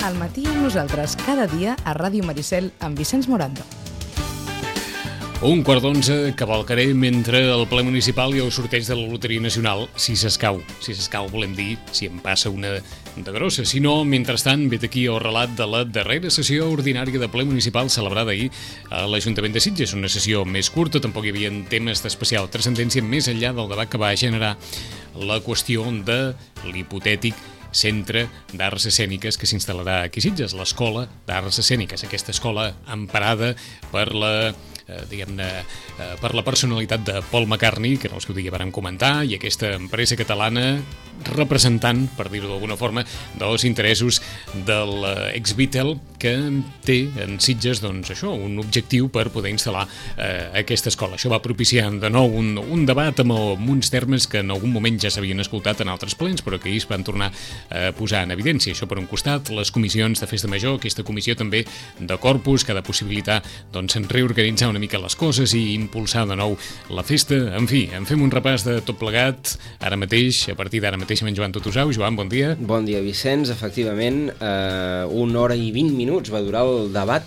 al matí amb nosaltres cada dia a Ràdio Maricel amb Vicenç Morando. 11:15, cavalcaré mentre el ple municipal i el sorteig de la Loteria Nacional, si s'escau. Si s'escau volem dir si em passa una de grossa. Si no, mentrestant, vet aquí el relat de la darrera sessió ordinària de ple municipal celebrada ahir a l'Ajuntament de Sitges. Una sessió més curta, tampoc hi havia temes d'especial transcendència més enllà del debat que va generar la qüestió de l'hipotètic Centre d'Arts Escèniques que s'instal·larà aquí a Sitges, l'Escola d'Arts Escèniques. Aquesta escola emparada per la per la personalitat de Paul McCartney, que en el seu dia vàrem comentar, i aquesta empresa catalana representant, per dir-ho d'alguna forma, dels interessos de l'ex-Beatle, que té en Sitges, doncs això, un objectiu per poder instal·lar aquesta escola. Això va propiciar de nou un debat amb uns termes que en algun moment ja s'havien escoltat en altres plens, però que ahir es van tornar a posar en evidència. Això per un costat, les comissions de festa major, aquesta comissió també de Corpus, que ha de possibilitar doncs, reorganitzar una mica les coses i impulsar de nou la festa. En fi, en fem un repàs de tot plegat ara mateix, a partir d'ara mateix amb en Joan Tutusau. Joan, bon dia. Bon dia, Vicenç. Efectivament, 1 hora i 20 minuts va durar el debat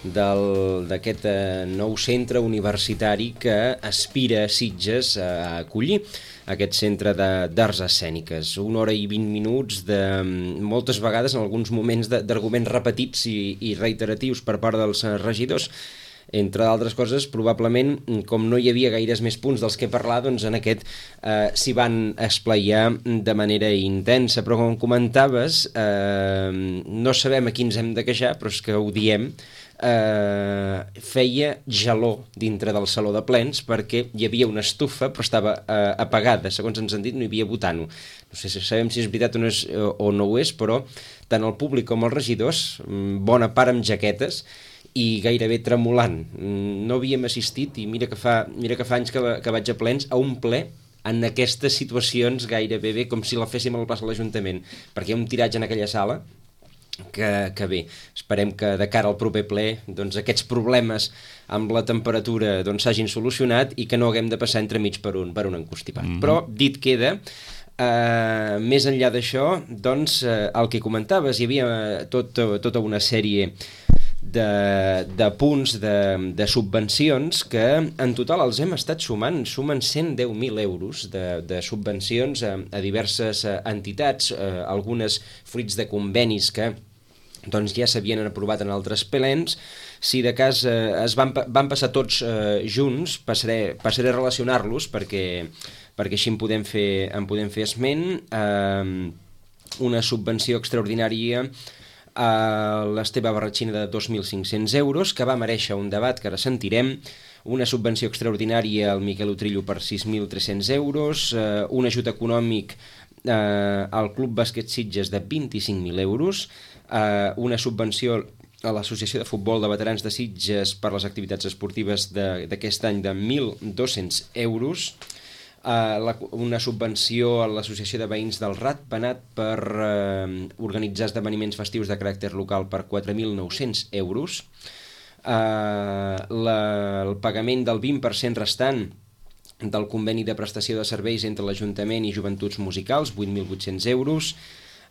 d'aquest nou centre universitari que aspira a Sitges a acollir aquest centre d'arts escèniques. 1 hora i 20 minuts de moltes vegades, en alguns moments, d'arguments repetits i reiteratius per part dels regidors. Entre d'altres coses, probablement, com no hi havia gaires més punts dels que parlar, doncs en aquest s'hi van esplaiar de manera intensa. Però com comentaves, no sabem a qui ens hem de queixar, però és que ho diem, feia gelor dintre del saló de plens perquè hi havia una estufa però estava apagada, segons ens han dit no hi havia butano. No sé si sabem si és veritat o no ho és, però tant el públic com els regidors, bona part amb jaquetes i gairebé tremolant. No havíem assistit, i mira que fa anys que vaig a plens, a un ple en aquestes situacions gairebé bé com si la féssim a la plaça de l'Ajuntament, perquè hi ha un tiratge en aquella sala que bé, esperem que de cara al proper ple doncs, aquests problemes amb la temperatura doncs, s'hagin solucionat i que no haguem de passar entremig per un encostipat. Però dit queda, més enllà d'això, doncs, el que comentaves, hi havia tota una sèrie de punts de subvencions que en total els hem estat sumen 110.000 euros de subvencions a diverses entitats, algunes fruits de convenis que doncs, ja s'havien aprovat en altres plens. Si de cas es van passar tots junts, passaré a relacionar-los perquè així en podem fer esment. Una subvenció extraordinària a l'Esteve Barratxina de 2.500 euros, que va mereixer un debat que ara sentirem, una subvenció extraordinària al Miquel Utrillo per 6.300 euros, un ajut econòmic al Club Bàsquet Sitges de 25.000 euros, una subvenció a l'Associació de Futbol de Veterans de Sitges per les activitats esportives d'aquest any de 1.200 euros, una subvenció a l'Associació de Veïns del Ratpenat per organitzar esdeveniments festius de caràcter local per 4.900 euros, el pagament del 20% restant del conveni de prestació de serveis entre l'Ajuntament i Joventuts Musicals, 8.800 euros,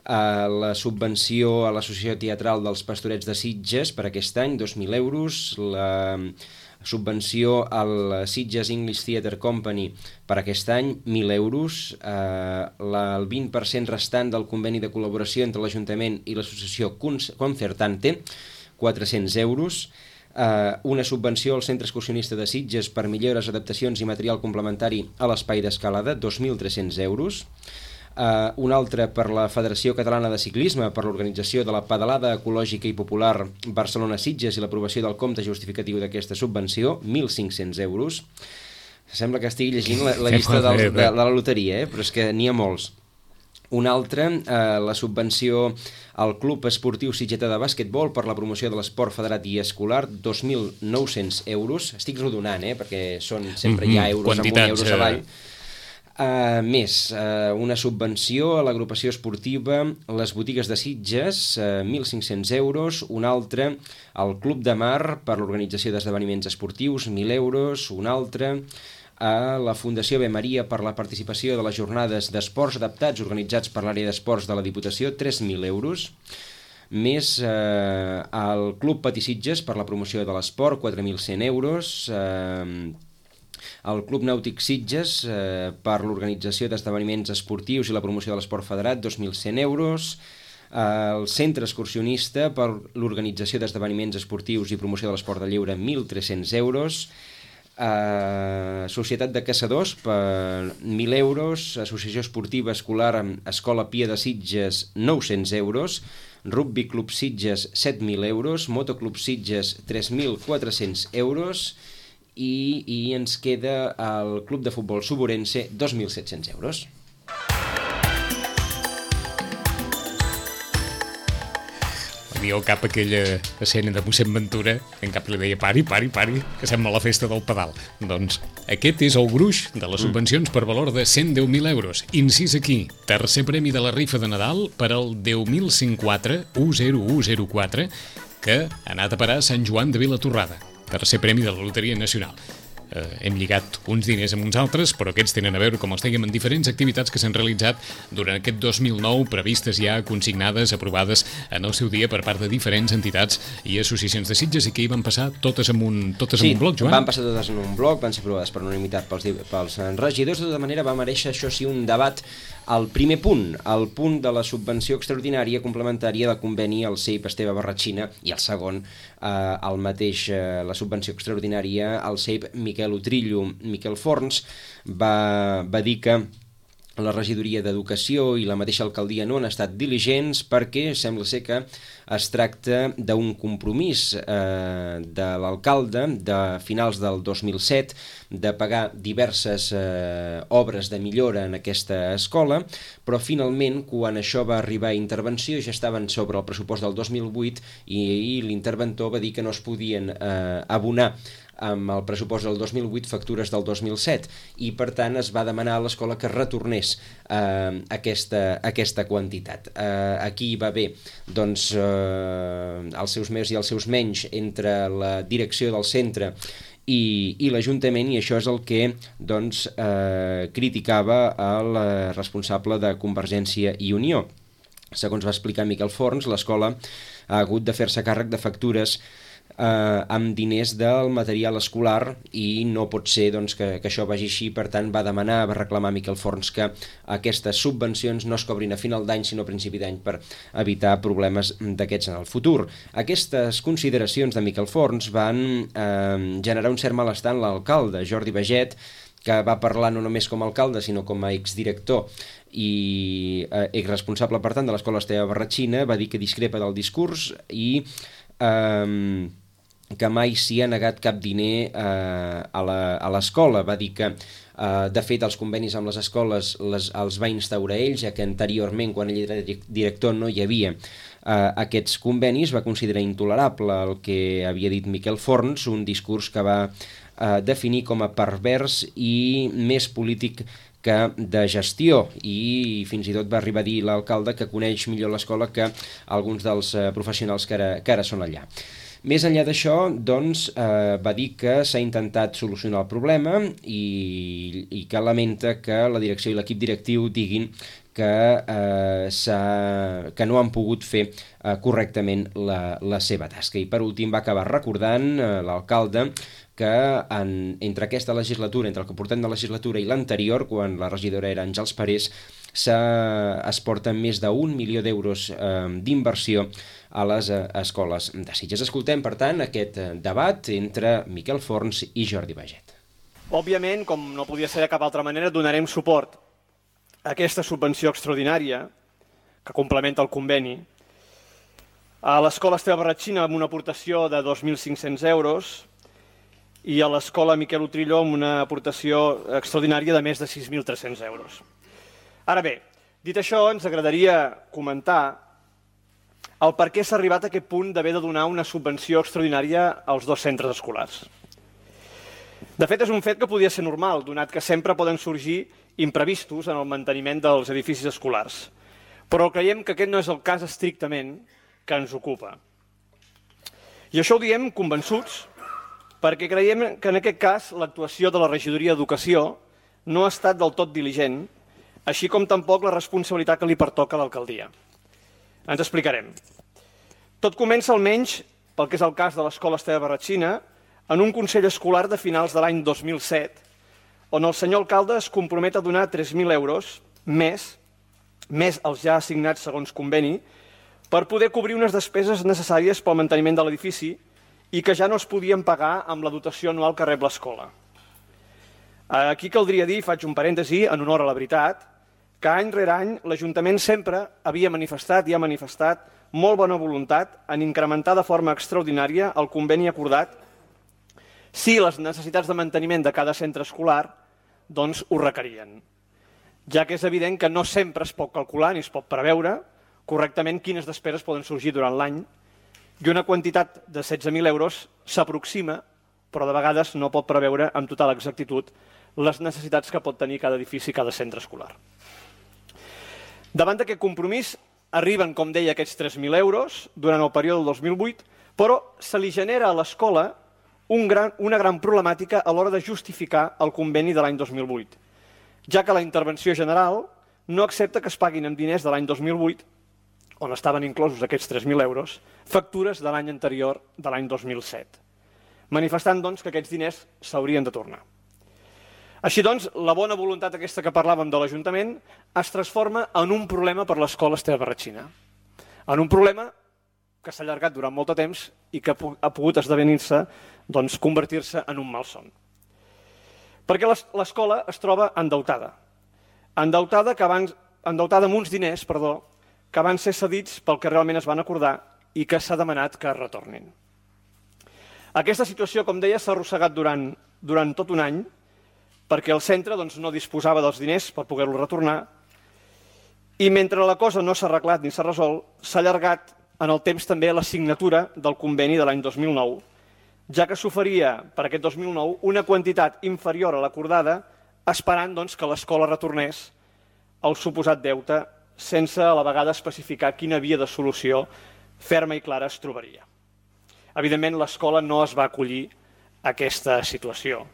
la subvenció a l'Associació Teatral dels Pastorets de Sitges per aquest any, 2.000 euros, la subvenció al Sitges English Theatre Company per aquest any, 1.000 euros, el 20% restant del conveni de col·laboració entre l'Ajuntament i l'associació Concertante, 400 euros, una subvenció al Centre Excursionista de Sitges per millores, adaptacions i material complementari a l'espai d'escalada, 2.300 euros, un altre per la Federació Catalana de Ciclisme per l'organització de la pedalada ecològica i popular Barcelona-Sitges i l'aprovació del compte justificatiu d'aquesta subvenció, 1.500 euros. Sembla que estigui llegint la llista de la loteria, però és que n'hi ha molts. Un altre, la subvenció al Club Esportiu Sitgetà de Bàsquetbol per la promoció de l'esport federat i escolar, 2.900 euros. Estic rodonant, perquè sempre hi ha euros amunt i euros avall. Més, una subvenció a l'agrupació esportiva Les Botigues de Sitges, 1.500 euros, un altre al Club de Mar per l'organització d'esdeveniments esportius, 1.000 euros, un altre a la Fundació Ave Maria per la participació de les jornades d'esports adaptats organitzats per l'àrea d'esports de la Diputació, 3.000 euros. més el Club Patí Sitges per la promoció de l'esport, 4.100 euros, el Club Nàutic Sitges per l'organització d'esdeveniments esportius i la promoció de l'esport federat, 2.100 euros, el Centre Excursionista per l'organització d'esdeveniments esportius i promoció de l'esport de lleure, 1.300 euros, Societat de Caçadors per 1.000 euros, Associació Esportiva Escolar Escola Pia de Sitges, 900 euros, Rugby Club Sitges, 7.000 euros, Motoclub Sitges, 3.400 euros i ens queda el Club de Futbol Suburense, 2.700 euros. Diu cap aquella escena de mossèn Ventura, en cap li deia pari, que sembla la festa del pedal. Doncs aquest és el gruix de les subvencions per valor de 110.000 euros. Incís aquí, tercer premi de la rifa de Nadal per al 10.104 10104 que ha anat a parar a Sant Joan de Vilatorrada. Tercer premi de la Loteria Nacional. Hem lligat uns diners amb uns altres, però aquests tenen a veure, com els dèiem, en diferents activitats que s'han realitzat durant aquest 2009, previstes ja, consignades, aprovades en el seu dia per part de diferents entitats i associacions de Sitges, i que hi van passar totes en un bloc, Joan? Sí, van passar totes en un bloc, van ser aprovades per unanimitat pels regidors. De tota manera, va mereixer, això sí, un debat al primer punt, el punt de la subvenció extraordinària complementària del conveni al CEIP Esteve Barratxina, i el segon, el mateix, la subvenció extraordinària al CEIP Miquel Utrillo. Miquel Forns va dir que la regidoria d'Educació i la mateixa alcaldia no han estat diligents perquè sembla ser que es tracta d'un compromís de l'alcalde de finals del 2007 de pagar diverses obres de millora en aquesta escola, però finalment quan això va arribar a intervenció ja estaven sobre el pressupost del 2008 i l'interventor va dir que no es podien abonar amb el pressupost del 2008 factures del 2007 i per tant es va demanar a l'escola que retornés aquesta quantitat. Aquí va haver doncs, els seus més i els seus menys entre la direcció del centre i l'Ajuntament, i això és el que doncs, criticava el responsable de Convergència i Unió. Segons va explicar Miquel Forns, l'escola ha hagut de fer-se càrrec de factures amb diners del material escolar i no pot ser doncs, que això vagi així. Per tant va demanar, va reclamar Miquel Forns que aquestes subvencions no es cobrin a final d'any sinó a principi d'any per evitar problemes d'aquests en el futur. Aquestes consideracions de Miquel Forns van generar un cert malestar en l'alcalde Jordi Baget, que va parlar no només com a alcalde sinó com a exdirector i exresponsable per tant de l'escola Esteve Barratxina. Va dir que discrepa del discurs i que mai s'hi ha negat cap diner a l'escola. Va dir que, de fet, els convenis amb les escoles els va instaurar ell, ja que anteriorment, quan ell era director, no hi havia aquests convenis. Va considerar intolerable el que havia dit Miquel Forns, un discurs que va definir com a pervers i més polític que de gestió, i fins i tot va arribar a dir l'alcalde que coneix millor l'escola que alguns dels professionals que ara són allà. Més enllà d'això, doncs, va dir que s'ha intentat solucionar el problema i que lamenta que la direcció i l'equip directiu diguin que no han pogut fer correctament la seva tasca. I per últim va acabar recordant l'alcalde que entre aquesta legislatura, entre el que portem de legislatura i l'anterior, quan la regidora era Àngels Parés, es porten més d'1 milió d'euros d'inversió a les escoles de Sitges. Escoltem, per tant, aquest debat entre Miquel Forns i Jordi Baget. Òbviament, com no podia ser de cap altra manera, donarem suport a aquesta subvenció extraordinària que complementa el conveni a l'escola Esteve Barratxina amb una aportació de 2.500 euros i a l'escola Miquel Utrillo amb una aportació extraordinària de més de 6.300 euros. Ara bé, dit això, ens agradaria comentar el per què s'ha arribat a aquest punt d'haver de donar una subvenció extraordinària als dos centres escolars. De fet, és un fet que podia ser normal, donat que sempre poden sorgir imprevistos en el manteniment dels edificis escolars. Però creiem que aquest no és el cas estrictament que ens ocupa. I això ho diem convençuts perquè creiem que en aquest cas l'actuació de la regidoria d'Educació no ha estat del tot diligent, així com tampoc la responsabilitat que li pertoca a l'alcaldia. Ens explicarem. Tot comença almenys, pel que és el cas de l'Escola Esteve Barratxina, en un consell escolar de finals de l'any 2007, on el senyor alcalde es compromet a donar 3.000 euros més els ja assignats segons conveni, per poder cobrir unes despeses necessàries pel manteniment de l'edifici i que ja no es podien pagar amb la dotació anual que rep l'escola. Aquí caldria dir, faig un parèntesi en honor a la veritat, que any rere any l'Ajuntament sempre havia manifestat i ha manifestat molt bona voluntat en incrementar de forma extraordinària el conveni acordat si les necessitats de manteniment de cada centre escolar doncs ho requerien, ja que és evident que no sempre es pot calcular ni es pot preveure correctament quines despeses poden sorgir durant l'any i una quantitat de 16.000 euros s'aproxima, però de vegades no pot preveure amb total exactitud les necessitats que pot tenir cada edifici i cada centre escolar. Davant d'aquest compromís arriben, com deia, aquests 3.000 euros durant el període del 2008, però se li genera a l'escola una gran problemàtica a l'hora de justificar el conveni de l'any 2008, ja que la intervenció general no accepta que es paguin amb diners de l'any 2008, on estaven inclosos aquests 3.000 euros, factures de l'any anterior, de l'any 2007, manifestant doncs, que aquests diners s'haurien de tornar. Així doncs, la bona voluntat aquesta que parlàvem de l'Ajuntament es transforma en un problema per l'Escola Esteve Barratxina, en un problema que s'ha allargat durant molt de temps i que ha pogut esdevenir-se, doncs, convertir-se en un malson. Perquè l'escola es troba endeutada amb uns diners, que van ser cedits pel que realment es van acordar i que s'ha demanat que es retornin. Aquesta situació, com deia, s'ha arrossegat durant tot un any perquè el centre no disposava dels diners per poder-lo retornar i mentre la cosa no s'ha arreglat ni s'ha resolt, s'ha allargat en el temps també la signatura del conveni de l'any 2009, ja que s'oferia per aquest 2009 una quantitat inferior a l'acordada, esperant que l'escola retornés el suposat deute sense a la vegada especificar quina via de solució ferma i clara es trobaria. Evidentment, l'escola no es va acollir a aquesta situació.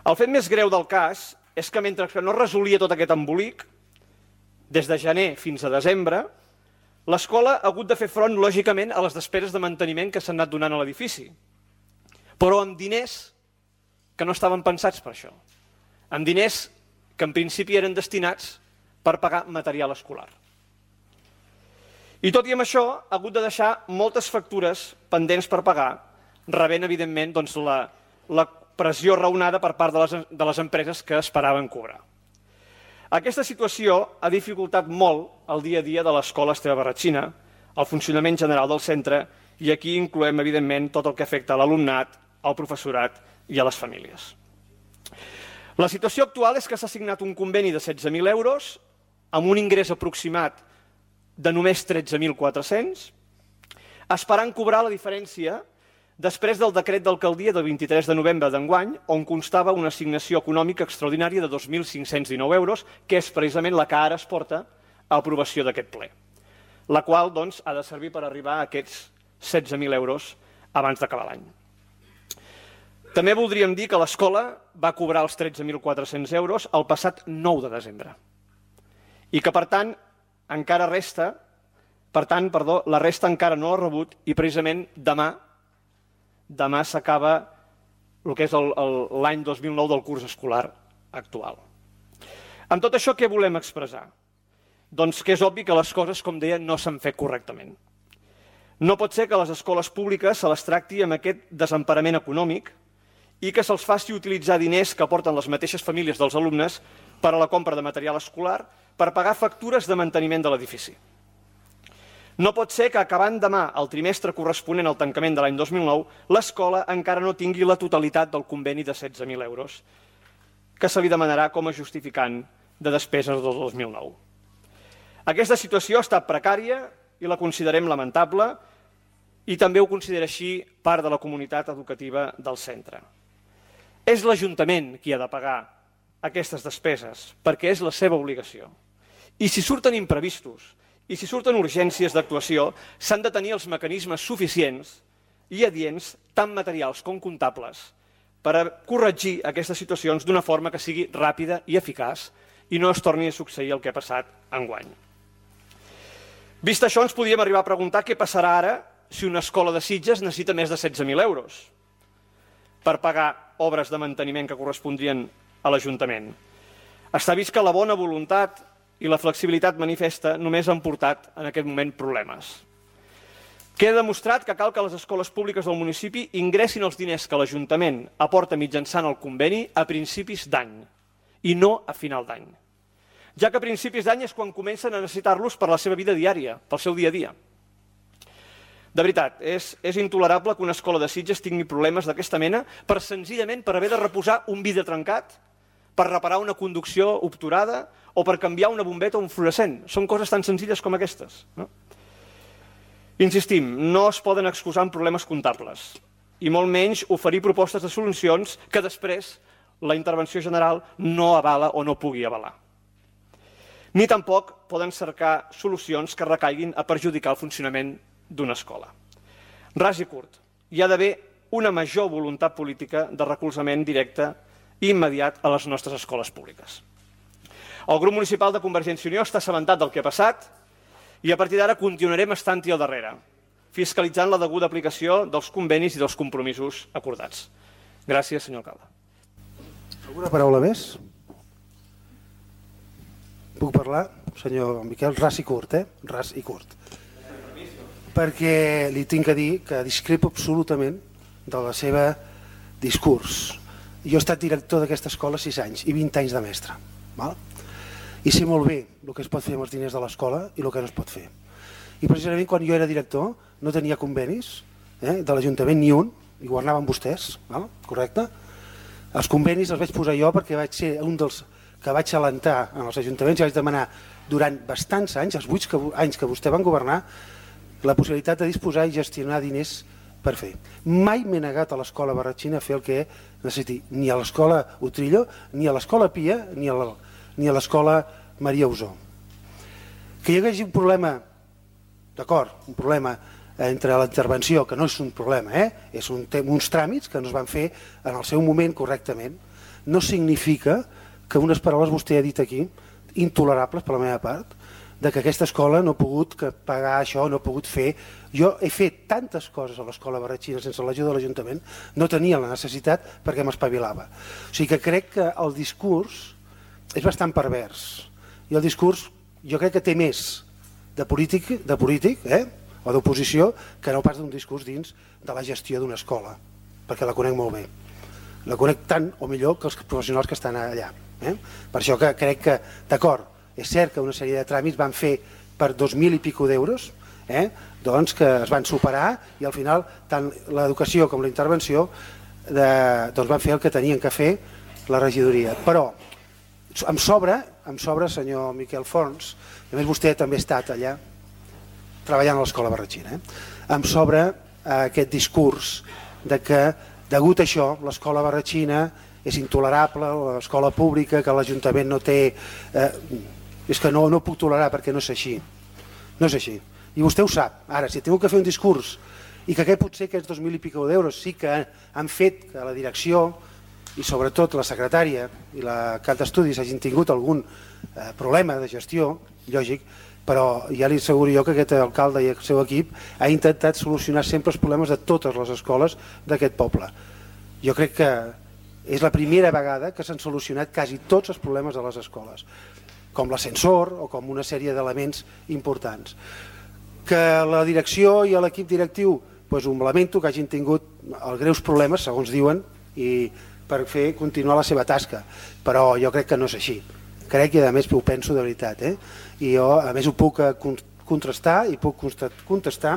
El fet més greu del cas és que mentre que no es resolia tot aquest embolic, des de gener fins a desembre, l'escola ha hagut de fer front, lògicament, a les despeses de manteniment que s'han anat donant a l'edifici, però amb diners que no estaven pensats per això, amb diners que en principi eren destinats per pagar material escolar. I tot i amb això, ha hagut de deixar moltes factures pendents per pagar, rebent, evidentment, la pressió raonada per part de les empreses que esperaven cobrar. Aquesta situació ha dificultat molt el dia a dia de l'Escola Esteve Barratxina, el funcionament general del centre, i aquí incloem, evidentment, tot el que afecta a l'alumnat, al professorat i a les famílies. La situació actual és que s'ha signat un conveni de 16.000 euros amb un ingrés aproximat de només 13.400, esperant cobrar la diferència després del decret d'alcaldia del 23 de novembre d'enguany, on constava una assignació econòmica extraordinària de 2.519 euros, que és precisament la que ara es porta a aprovació d'aquest ple, la qual ha de servir per arribar a aquests 16.000 euros abans d'acabar l'any. També voldríem dir que l'escola va cobrar els 13.400 euros el passat 9 de desembre i que, per tant, la resta encara no l'ha rebut i precisament demà s'acaba el que és l'any 2009 del curs escolar actual. Amb tot això, què volem expressar? Doncs que és obvi que les coses, com deia, no s'han fet correctament. No pot ser que les escoles públiques se les tracti amb aquest desemparament econòmic i que se'ls faci utilitzar diners que aporten les mateixes famílies dels alumnes per a la compra de material escolar per pagar factures de manteniment de l'edifici. No pot ser que, acabant demà el trimestre corresponent al tancament de l'any 2009, l'escola encara no tingui la totalitat del conveni de 16.000 euros que se li demanarà com a justificant de despeses del 2009. Aquesta situació ha estat precària i la considerem lamentable i també ho considera així part de la comunitat educativa del centre. És l'Ajuntament qui ha de pagar aquestes despeses perquè és la seva obligació. I si surten imprevistos i si surten urgències d'actuació, s'han de tenir els mecanismes suficients i adients, tant materials com comptables, per a corregir aquestes situacions d'una forma que sigui ràpida i eficaç i no es torni a succeir el que ha passat enguany. Vist això, ens podíem arribar a preguntar què passarà ara si una escola de Sitges necessita més de 16.000 euros per pagar obres de manteniment que correspondrien a l'Ajuntament. Està vist que la bona voluntat i la flexibilitat manifesta només han portat en aquest moment problemes. Queda demostrat que cal que les escoles públiques del municipi ingressin els diners que l'Ajuntament aporta mitjançant el conveni a principis d'any i no a final d'any, ja que a principis d'any és quan comencen a necessitar-los per la seva vida diària, pel seu dia a dia. De veritat, és intolerable que una escola de Sitges tingui problemes d'aquesta mena senzillament per haver de reposar un vidre trencat, per reparar una conducció obturada o per canviar una bombeta o un fluorescent. Són coses tan senzilles com aquestes. Insistim, no es poden excusar en problemes comptables i molt menys oferir propostes de solucions que després la intervenció general no avala o no pugui avalar. Ni tampoc poden cercar solucions que recaiguin a perjudicar el funcionament d'una escola. Ras i curt, hi ha d'haver una major voluntat política de recolzament directe i immediat a les nostres escoles públiques. El grup municipal de Convergència i Unió està assabentat del que ha passat i a partir d'ara continuarem estant-hi al darrere, fiscalitzant la deguda aplicació dels convenis i dels compromisos acordats. Gràcies, senyor alcalde. Alguna paraula més? Puc parlar, senyor Miquel? Ras i curt, Ras i curt. Perquè li tinc a dir que discrepo absolutament de la seva discurs. Jo he estat director d'aquesta escola 6 anys i 20 anys de mestre. I sé molt bé el que es pot fer amb els diners de l'escola i el que no es pot fer. I precisament quan jo era director no tenia convenis de l'Ajuntament ni un, i governaven vostès, correcte? Els convenis els vaig posar jo perquè vaig ser un dels que vaig alentar en els ajuntaments i vaig demanar durant bastants anys, els 8 anys que vostè van governar, la possibilitat de disposar i gestionar diners per fer. Mai m'he negat a l'escola Barratxina a fer el que necessiti, ni a l'escola Utrillo, ni a l'escola Pia, ni a l'escola Maria Usó. Que hi hagués un problema, d'acord, un problema entre la intervenció, que no és un problema, és uns tràmits que no es van fer en el seu moment correctament, no significa que unes paraules vostè ha dit aquí, intolerables per la meva part, de que aquesta escola no ha pogut pagar això, no ha pogut fer. Jo he fet tantes coses a l'escola Barratxina sense l'ajuda de l'Ajuntament, no tenia la necessitat perquè m'espavilava. O sigui que crec que el discurs és bastant pervers. I el discurs jo crec que té més de polític o d'oposició que no pas d'un discurs dins de la gestió d'una escola, perquè la conec molt bé. La conec tant o millor que els professionals que estan allà. Per això que crec que, d'acord, és cert que una sèrie de tràmits van fer per 2.000 i pico d'euros, doncs que es van superar i al final tant l'educació com la intervenció doncs van fer el que tenien que fer la regidoria. Però em sobra, senyor Miquel Forns, a més vostè també ha estat allà treballant a l'escola Barratxina, em sobra aquest discurs de que degut a això l'escola Barratxina és intolerable, l'escola pública, que l'Ajuntament no té... És que no puc tolerar perquè no és així. No és així. I vostè ho sap. Ara, si he tingut que fer un discurs i que potser aquests 2.000 i pico d'euros sí que han fet que la direcció i sobretot la secretària i la cap d'estudis hagin tingut algun problema de gestió, lògic, però ja li asseguro jo que aquest alcalde i el seu equip ha intentat solucionar sempre els problemes de totes les escoles d'aquest poble. Jo crec que és la primera vegada que s'han solucionat quasi tots els problemes de les escoles, com l'ascensor o com una sèrie d'elements importants. Que la direcció i l'equip directiu, doncs ho lamento que hagin tingut els greus problemes, segons diuen, i per fer continuar la seva tasca, però jo crec que no és així. Crec que a més ho penso de veritat, i jo a més ho puc contrastar i puc contestar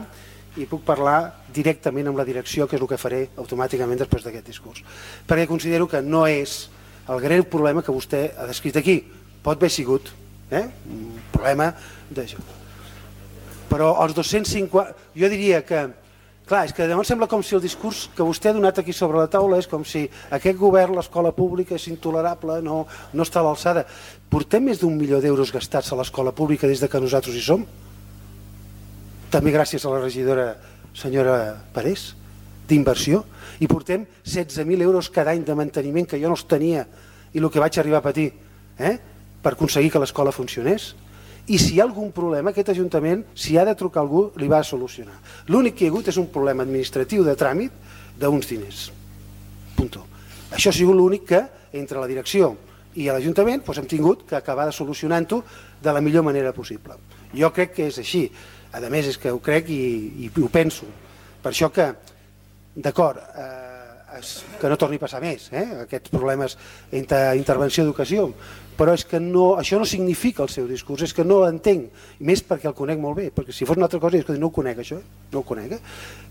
i puc parlar directament amb la direcció, que és el que faré automàticament després d'aquest discurs, perquè considero que no és el greu problema que vostè ha descrit aquí. Pot haver sigut un problema d'això. Però els 250... Jo diria que... Clar, és que llavors sembla com si el discurs que vostè ha donat aquí sobre la taula és com si aquest govern, l'escola pública, és intolerable, no està a l'alçada. Portem més d'1 milió d'euros gastats a l'escola pública des que nosaltres hi som? També gràcies a la regidora senyora Parés, d'inversió. I portem 16.000 euros cada any de manteniment que jo no els tenia i el que vaig arribar a patir, per aconseguir que l'escola funcionés. I si hi ha algun problema, aquest Ajuntament, si ha de trucar algú, li va a solucionar. L'únic que hi ha hagut és un problema administratiu de tràmit d'uns diners. Punto. Això ha sigut l'únic que, entre la direcció i l'Ajuntament, hem tingut que acabar de solucionant-ho de la millor manera possible. Jo crec que és així. A més, és que ho crec i ho penso. Per això que, d'acord, que no torni a passar més, aquests problemes d'intervenció d'ocasió, però és que això no significa el seu discurs, és que no l'entenc, més perquè el conec molt bé, perquè si fos una altra cosa, no ho conec això, no ho conec,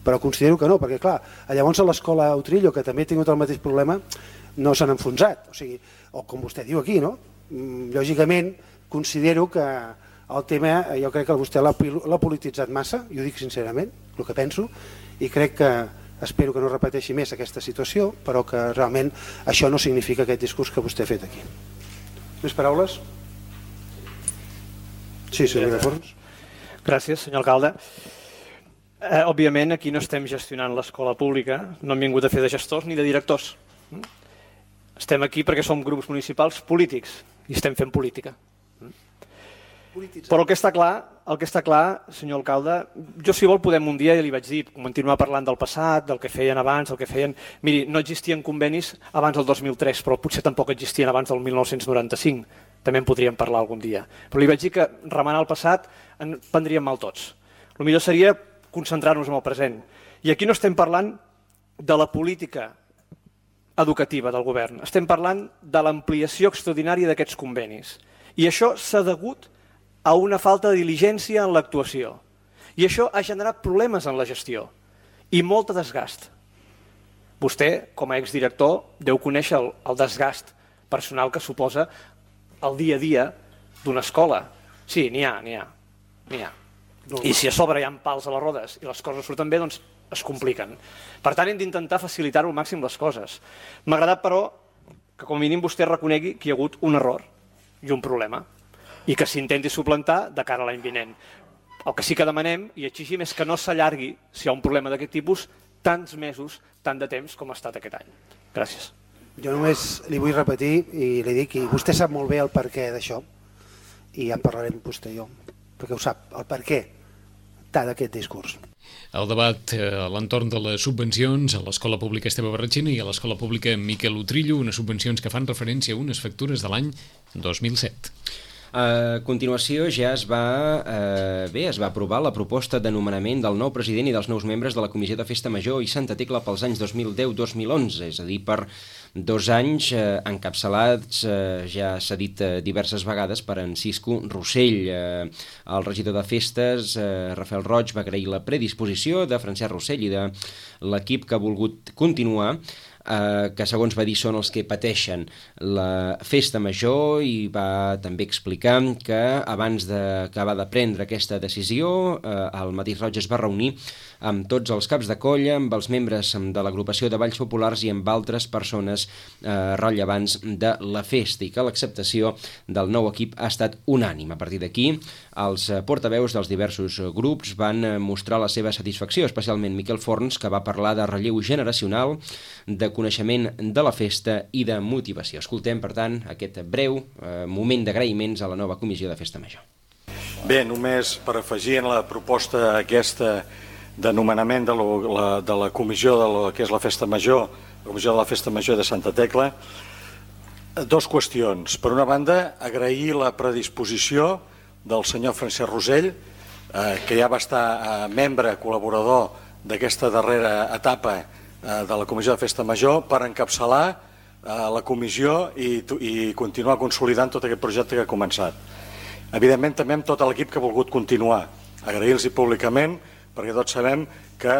però considero que no, perquè clar, llavors a l'escola Utrillo, que també ha tingut el mateix problema, no s'han enfonsat, o com vostè diu aquí, no? Lògicament, considero que el tema, jo crec que vostè l'ha polititzat massa, i ho dic sincerament, el que penso, i crec que espero que no repeteixi més aquesta situació, però que realment això no significa aquest discurs que vostè ha fet aquí. Més paraules? Sí, senyor Fons. Gràcies, senyor alcalde. Òbviament, aquí no estem gestionant l'escola pública, no hem vingut a fer de gestors ni de directors. Estem aquí perquè som grups municipals polítics i estem fent política. Però el que està clar, senyor alcalde, jo si vol podem un dia, ja li vaig dir, continuar parlant del passat, del que feien abans, del que feien... Miri, no existien convenis abans del 2003, però potser tampoc existien abans del 1995. També en podríem parlar algun dia. Però li vaig dir que remenant el passat en prendríem mal tots. El millor seria concentrar-nos en el present. I aquí no estem parlant de la política educativa del govern, estem parlant de l'ampliació extraordinària d'aquests convenis. I això s'ha degut a una falta de diligència en l'actuació. I això ha generat problemes en la gestió i molt desgast. Vostè, com a exdirector, deu conèixer el desgast personal que suposa el dia a dia d'una escola. Sí, n'hi ha. I si a sobre hi ha pals a les rodes i les coses surten bé, doncs es compliquen. Per tant, hem d'intentar facilitar al màxim les coses. M'ha agradat, però, que com a mínim vostè reconegui que hi ha hagut un error i un problema, i que s'intenti suplantar de cara a l'any vinent. El que sí que demanem i exigim és que no s'allargui, si hi ha un problema d'aquest tipus, tants mesos, tant de temps com ha estat aquest any. Gràcies. Jo només li vull repetir i li dic, i vostè sap molt bé el perquè d'això, i ja en parlarem vostè i jo, perquè ho sap, el perquè d'aquest discurs. El debat a l'entorn de les subvencions a l'Escola Pública Esteve Barratxina i a l'Escola Pública Miquel Utrillo, unes subvencions que fan referència a unes factures de l'any 2007. A continuació ja es va aprovar la proposta de nomenament del nou president i dels nous membres de la Comissió de Festa Major i Santa Tecla pels anys 2010-2011, és a dir, per 2 anys encapçalats, ja s'ha dit diverses vegades, per en Cisco Rossell. El regidor de Festes, Rafael Roig, va agrair la predisposició de Francesc Rossell i de l'equip que ha volgut continuar, que segons va dir són els que pateixen la festa major, i va també explicar que abans d'acabar de prendre aquesta decisió el mateix Roig es va reunir amb tots els caps de colla, amb els membres de l'agrupació de Balls Populars i amb altres persones rellevants de la festa, i que l'acceptació del nou equip ha estat unànime. A partir d'aquí, els portaveus dels diversos grups van mostrar la seva satisfacció, especialment Miquel Forns, que va parlar de relleu generacional, de coneixement de la festa i de motivació. Escoltem, per tant, aquest breu moment d'agraïments a la nova Comissió de Festa Major. Bé, només per afegir en la proposta aquesta de nomenament de la comissió de lo que és la Festa Major, la Comissió de la Festa Major de Santa Tecla, 2 qüestions. Per una banda, agrair la predisposició del senyor Francesc Rossell, que ja va estar membre, col·laborador d'aquesta darrera etapa de la Comissió de Festa Major, per encapçalar la comissió i continuar consolidant tot aquest projecte que ha començat. Evidentment, també amb tot l'equip que ha volgut continuar. Agrair-los públicament, perquè tots sabem que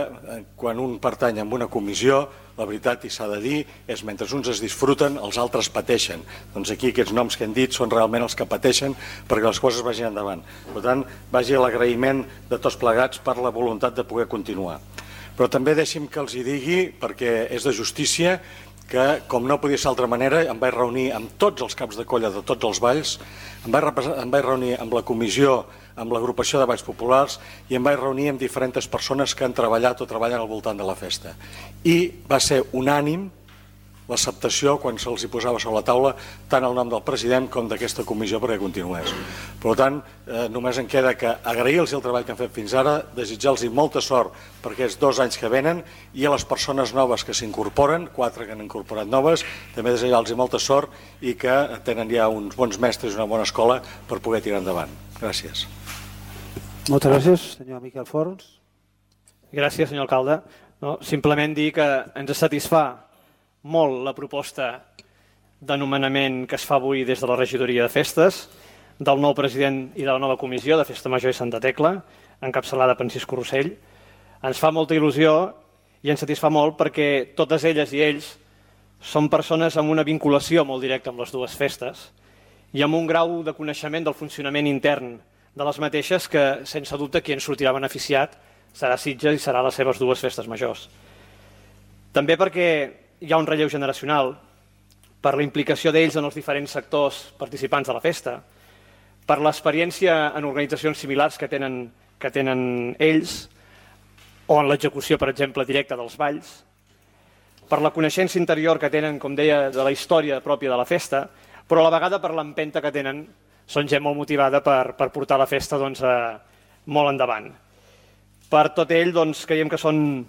quan un pertany a una comissió, la veritat, i s'ha de dir, és mentre uns es disfruten, els altres pateixen. Doncs aquí aquests noms que hem dit són realment els que pateixen perquè les coses vagin endavant. Per tant, vagi l'agraïment de tots plegats per la voluntat de poder continuar. Però també deixi'm que els hi digui, perquè és de justícia, que com no podia ser d'altra manera, em vaig reunir amb tots els caps de colla de tots els balls, em vaig reunir amb la comissió, amb l'agrupació de Balls Populars, i em vaig reunir amb diferents persones que han treballat o treballen al voltant de la festa. I va ser unànim l'acceptació quan se'ls hi posava sobre la taula tant el nom del president com d'aquesta comissió perquè continués. Per tant, només em queda que agrair-los el treball que han fet fins ara, desitjar-los molta sort per aquests 2 anys que venen i a les persones noves que s'incorporen, 4 que han incorporat noves, també desitjar-los molta sort i que tenen ja uns bons mestres i una bona escola per poder tirar endavant. Gràcies. Moltes gràcies, senyor Miquel Forns. Gràcies, senyor alcalde. No, simplement dir que ens satisfà molt la proposta de nomenament que es fa avui des de la regidoria de festes, del nou president i de la nova comissió de Festa Major i Santa Tecla, encapçalada per Francisco Rossell. Ens fa molta il·lusió i ens satisfà molt perquè totes elles i ells són persones amb una vinculació molt directa amb les dues festes i amb un grau de coneixement del funcionament intern de les mateixes que, sense dubte, qui en sortirà beneficiat serà Sitges i serà les seves dues festes majors. També perquè hi ha un relleu generacional, per la implicació d'ells en els diferents sectors participants de la festa, per l'experiència en organitzacions similars que tenen ells, o en l'execució, per exemple, directa dels balls, per la coneixença interior que tenen, com deia, de la història pròpia de la festa, però a la vegada per l'empenta que tenen, són gent molt motivada per portar la festa molt endavant. Per tot ell, creiem que són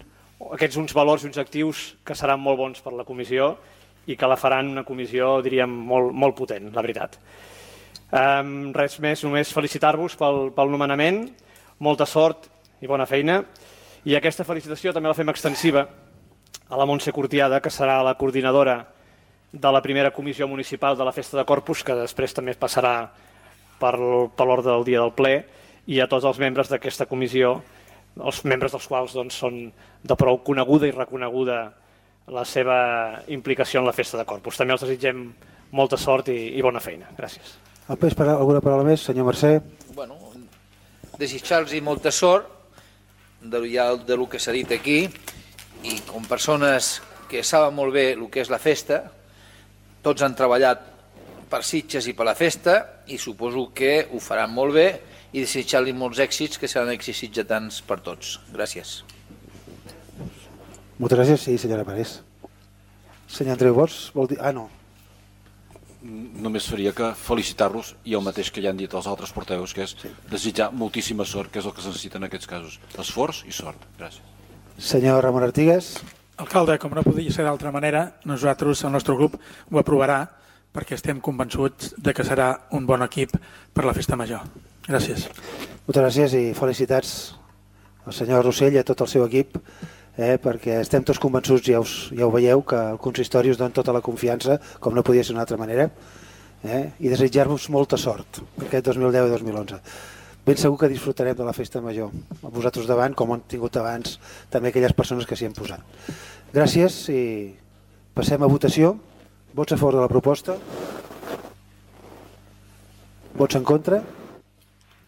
aquests uns valors i uns actius que seran molt bons per la comissió i que la faran una comissió, diríem, molt potent, la veritat. Res més, només felicitar-vos pel nomenament, molta sort i bona feina, i aquesta felicitació també la fem extensiva a la Montse Cortiada, que serà la coordinadora de la primera comissió municipal de la Festa de Corpus, que després també passarà per l'ordre del dia del ple, i a tots els membres d'aquesta comissió, els membres dels quals són de prou coneguda i reconeguda la seva implicació en la Festa de Corpus. També els desitgem molta sort i bona feina. Gràcies. Alguna paraula més, senyor Mercè? Bueno, desitjar-los molta sort del que s'ha dit aquí, i com persones que saben molt bé el que és la festa, tots han treballat per Sitges i per la festa i suposo que ho faran molt bé, i desitjar-li molts èxits, que seran èxits sitgetans per tots. Gràcies. Moltes gràcies, sí, senyora Parés. Senyor Andreu Bosch, vol dir... no. Només faria que felicitar-los i el mateix que ja han dit els altres porteus, que és desitjar moltíssima sort, que és el que es necessita en aquests casos. Esforç i sort. Gràcies. Senyor Ramon Artigas. Alcalde, com no podia ser d'altra manera, nosaltres, el nostre grup, ho aprovarà perquè estem convençuts de que serà un bon equip per la Festa Major. Gràcies. Moltes gràcies i felicitats al senyor Rossell i a tot el seu equip, perquè estem tots convençuts, ja ho veieu, que el consistori us dona tota la confiança, com no podia ser d'una altra manera, i desitjar-vos molta sort per aquest 2010 i 2011. Ben segur que disfrutarem de la Festa Major, a vosaltres davant, com han tingut abans també aquelles persones que s'hi han posat. Gràcies i passem a votació. Vots a favor de la proposta? Vots en contra?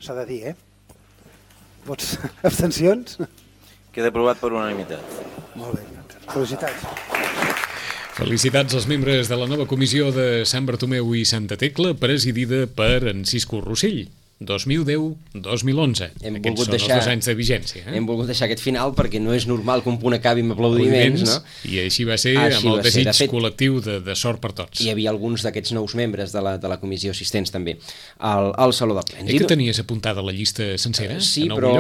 S'ha de dir, Vots abstencions? Queda aprovat per unanimitat. Molt bé, felicitats. Felicitats als membres de la nova comissió de Sant Bartomeu i Santa Tecla, presidida per en Cisco Rossell. 2010-2011. Aquests són els 2 anys de vigència. Hem volgut deixar aquest final perquè no és normal que un punt acabi amb aplaudiments, no? I així va ser, amb el desig col·lectiu de sort per tots. Hi havia alguns d'aquests nous membres de la comissió assistents també al Saló de Plens. Que tenies apuntada la llista sencera? Sí, però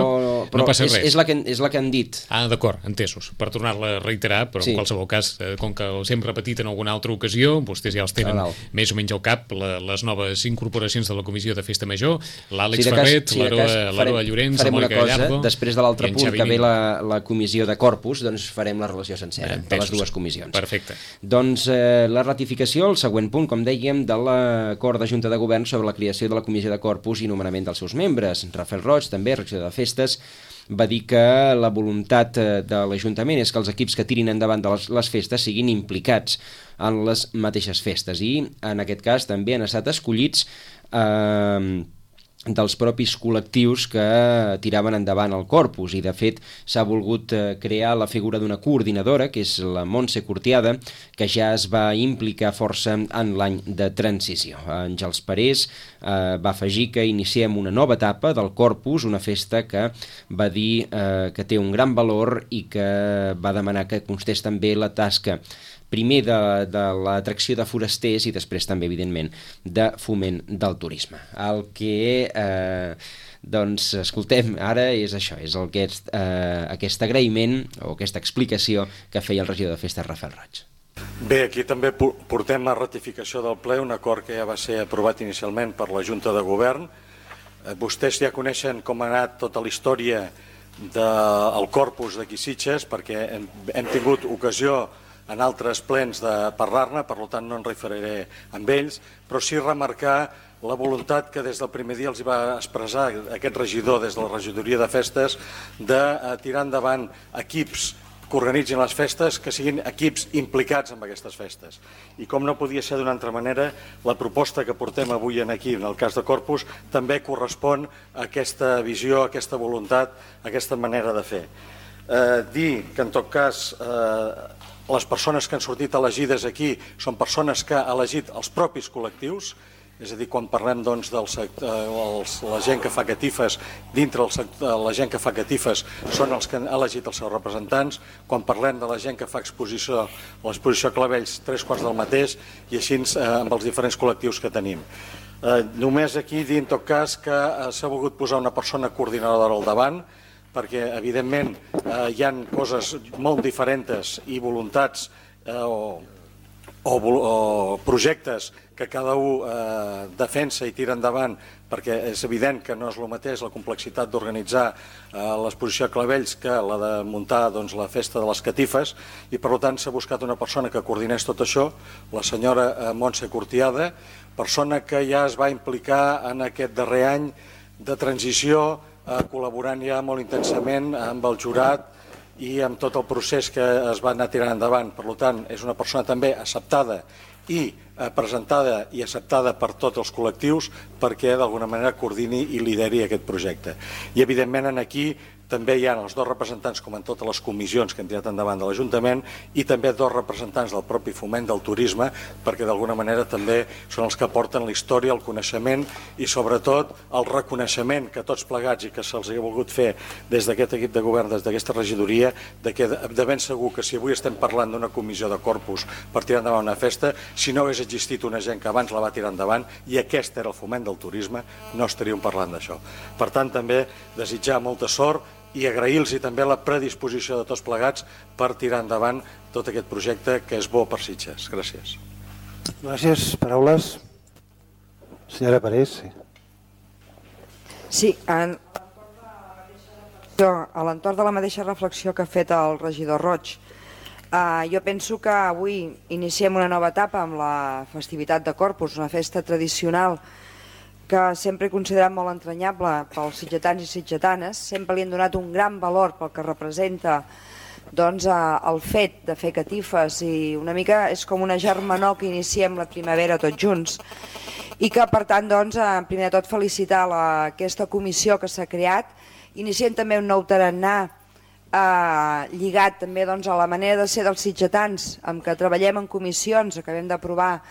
no passa res. És la que han dit. D'acord, entesos. Per tornar-la a reiterar, però en qualsevol cas, com que els hem repetit en alguna altra ocasió, vostès ja els tenen més o menys al cap, les noves incorporacions de la comissió de Festa Major, l'Àlex Ferret, l'Aroa Llorenç, la Mònica Gallardo... Després de l'altre punt que ve la comissió de Corpus, doncs farem la relació sencera de les dues comissions. Perfecte. Doncs la ratificació, el següent punt, com dèiem, de l'acord de Junta de Govern sobre la creació de la comissió de Corpus i nomenament dels seus membres. Rafael Roig, també, regidor de Festes, va dir que la voluntat de l'Ajuntament és que els equips que tirin endavant de les festes siguin implicats en les mateixes festes i, en aquest cas, també han estat escollits dels propis col·lectius que tiraven endavant el Corpus i de fet s'ha volgut crear la figura d'una coordinadora que és la Montse Cortiada, que ja es va implicar força en l'any de transició. Àngels Parés va afegir que iniciem una nova etapa del Corpus, una festa que va dir que té un gran valor i que va demanar que constés també la tasca primer de l'atracció de forasters i després també, evidentment, de foment del turisme. El que doncs escoltem ara és això, és aquest agraïment o aquesta explicació que feia el regidor de Festes, Rafael Roig. Bé, aquí també portem a ratificació del ple un acord que ja va ser aprovat inicialment per la Junta de Govern. Vostès ja coneixen com ha anat tota la història del corpus d'aquí Sitges, perquè hem tingut ocasió en altres plens de parlar-ne, per tant no en referiré amb ells, però sí remarcar la voluntat que des del primer dia els va expressar aquest regidor des de la regidoria de festes de tirar endavant equips que organitzin les festes, que siguin equips implicats en aquestes festes. I com no podia ser d'una altra manera, la proposta que portem avui aquí, en el cas de Corpus, també correspon a aquesta visió, a aquesta voluntat, a aquesta manera de fer. Dir que en tot cas les persones que han sortit elegides aquí són persones que ha elegit els propis col·lectius, és a dir, quan parlem doncs, la gent que fa catifes, dintre la gent que fa catifes són els que han elegit els seus representants, quan parlem de la gent que fa exposició, l'exposició Clavells, 3/4 del mateix, i així amb els diferents col·lectius que tenim. Només aquí dir en tot cas que s'ha volgut posar una persona coordinadora al davant, perquè evidentment hi ha coses molt diferents i voluntats o projectes que cada un defensa i tira endavant, perquè és evident que no és el mateix la complexitat d'organitzar l'exposició a Clavells que la de muntar la festa de les catifes, i per tant s'ha buscat una persona que coordinés tot això, la senyora Montse Cortiada, persona que ja es va implicar en aquest darrer any de transició, col·laborant ja molt intensament amb el jurat i amb tot el procés que es va anar tirant endavant. Per tant, és una persona també acceptada i presentada i acceptada per tots els col·lectius perquè d'alguna manera coordini i lideri aquest projecte. I evidentment aquí també hi ha els dos representants, com en totes les comissions que hem tirat endavant de l'Ajuntament, i també dos representants del propi foment del turisme, perquè d'alguna manera també són els que porten la història, el coneixement i sobretot el reconeixement que tots plegats i que se'ls ha volgut fer des d'aquest equip de govern, des d'aquesta regidoria, de ben segur que si avui estem parlant d'una comissió de Corpus per tirar endavant una festa, si no hagués existit una gent que abans la va tirar endavant i aquest era el foment del turisme, no estaríem parlant d'això. Per tant, també desitjar molta sort i agrair-los també la predisposició de tots plegats per tirar endavant tot aquest projecte que és bo per Sitges. Gràcies. Gràcies. Paraules? Senyora Parés. Sí, a l'entorn de la mateixa reflexió que ha fet el regidor Roig, jo penso que avui iniciem una nova etapa amb la festivitat de Corpus, una festa tradicional que sempre he considerat molt entranyable pels sitgetans i sitgetanes. Sempre li han donat un gran valor pel que representa el fet de fer catifes, i una mica és com una germanor que iniciem la primavera tots junts, i que per tant primer de tot felicitar aquesta comissió que s'ha creat. Iniciem també un nou tarannà lligat també a la manera de ser dels sitgetans, amb què treballem en comissions. Acabem d'aprovar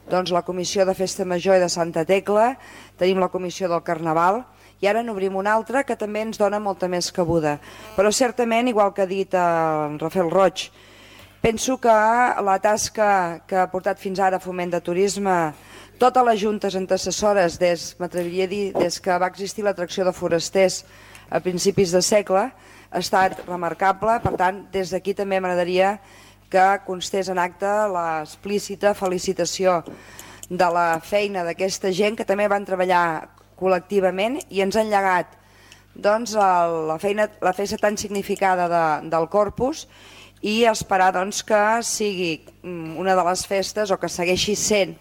la comissió de Festa Major i de Santa Tecla, tenim la comissió del Carnaval i ara n'obrim una altra que també ens dona molta més cabuda. Però certament, igual que ha dit en Rafael Roig, penso que la tasca que ha portat fins ara Foment de Turisme, totes les juntes antecessores, m'atreviria a dir, des que va existir l'atracció de forasters a principis de segle, ha estat remarcable. Per tant, des d'aquí també m'agradaria que constés en acte l'explícita felicitació de la feina d'aquesta gent que també van treballar col·lectivament i ens han llegat la festa tan significada del Corpus, i esperar que sigui una de les festes, o que segueixi sent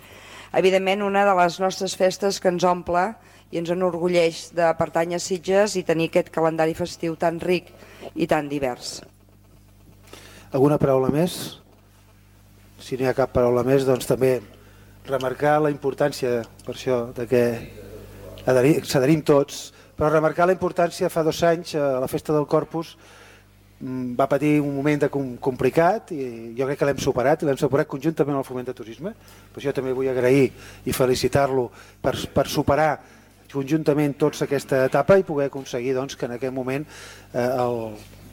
evidentment una de les nostres festes que ens omple i ens enorgulleix de pertànyer a Sitges i tenir aquest calendari festiu tan ric i tan divers. Alguna paraula més? Si no hi ha cap paraula més, doncs també remarcar la importància, per això, que s'adherim tots, però remarcar la importància. Fa 2 anys la festa del Corpus va patir un moment complicat i jo crec que l'hem superat, i l'hem superat conjuntament amb el Foment de Turisme. Per això també vull agrair i felicitar-lo per superar conjuntament tots aquesta etapa i poder aconseguir que en aquest moment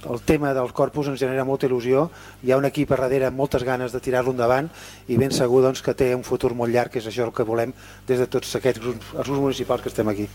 el tema del Corpus ens genera molta il·lusió, hi ha un equip a darrere amb moltes ganes de tirar-lo endavant i ben segur doncs, que té un futur molt llarg, que és això el que volem des de tots aquests grups municipals que estem aquí.